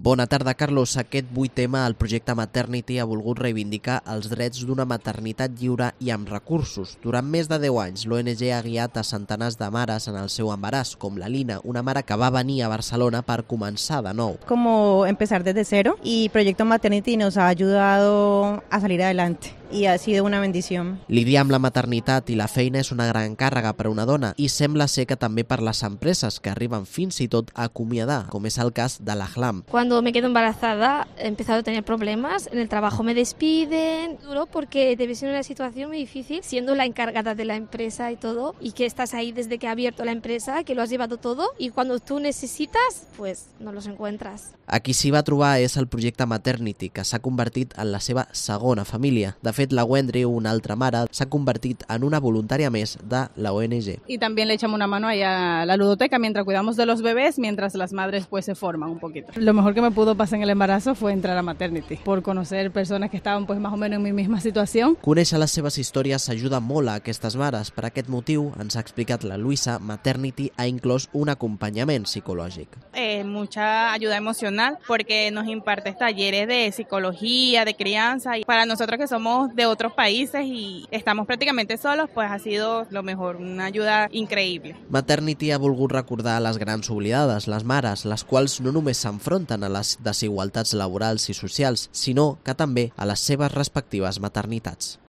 Bona tarda, Carlos. Aquest 8 tema, el projecte Maternity ha volgut reivindicar els drets d'una maternitat lliure i amb recursos. Durant més de 10 anys, l'ONG ha guiat a centenars de mares en el seu embaràs, com la Lina, una mare que va venir a Barcelona per començar de nou. Como empezar desde cero, y Proyecto Maternity nos ha ayudado a salir adelante y ha sido una bendición. Lidiar amb la maternitat i la feina és una gran càrrega per a una dona i sembla ser que també per les empreses que arriben fins i tot a acomiadar, com és el cas de l'Ahlam. Cuando me quedo embarazada he empezado a tener problemas, en el trabajo me despiden, duro porque debe ser una situación muy difícil siendo la encargada de la empresa y todo, y que estás ahí desde que ha abierto la empresa, que lo has llevado todo y cuando tú necesitas, pues no los encuentras. A qui s'hi va trobar és el projecte Maternity, que s'ha convertit en la seva segona família. De fet, la Wendry, una altra mare, s'ha convertit en una voluntària més de la ONG. Y también le echamos una mano ahí a la ludoteca mientras cuidamos de los bebés, mientras las madres pues se forman un poquito. Lo mejor que me pudo pasar en el embarazo fue entrar a Maternity, por conocer personas que estaban pues más o menos en mi misma situación. Conèixer les seves històries s'ajuda molt a aquestes mares. Per aquest motiu, ens ha explicat la Luisa, Maternity ha inclòs un acompanyament psicològic. Mucha ayuda emocional porque nos imparte talleres de psicología, de crianza, y para nosotros que somos de otros países y estamos prácticamente solos, pues ha sido lo mejor, una ayuda increïble. Maternity ha volgut recordar les grans oblidades, les mares, les quals no només s'enfronten a les desigualtats laborals i socials, sinó que també a les seves respectives maternitats.